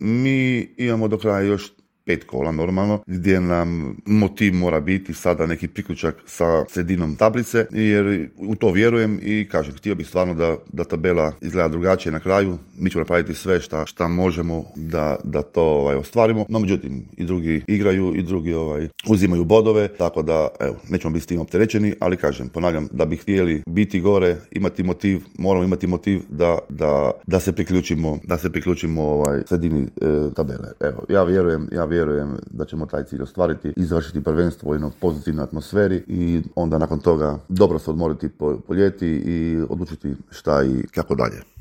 Mi imamo do kraja još 5 kola normalno, gdje nam motiv mora biti sada neki priključak sa sredinom tablice, jer u to vjerujem i kažem, htio bih stvarno da tabela izgleda drugačije na kraju. Mi ćemo napraviti sve šta možemo da to ostvarimo, no međutim i drugi igraju i drugi uzimaju bodove, tako da evo, nećemo biti s tim opterećeni, ali kažem, ponavljam, da bi htjeli biti gore, imati motiv, moramo imati motiv da se priključimo sredini tabele. Evo, ja vjerujem da ćemo taj cilj ostvariti i završiti prvenstvo u jednoj pozitivnoj atmosferi i onda nakon toga dobro se odmoriti po ljeti i odlučiti šta i kako dalje.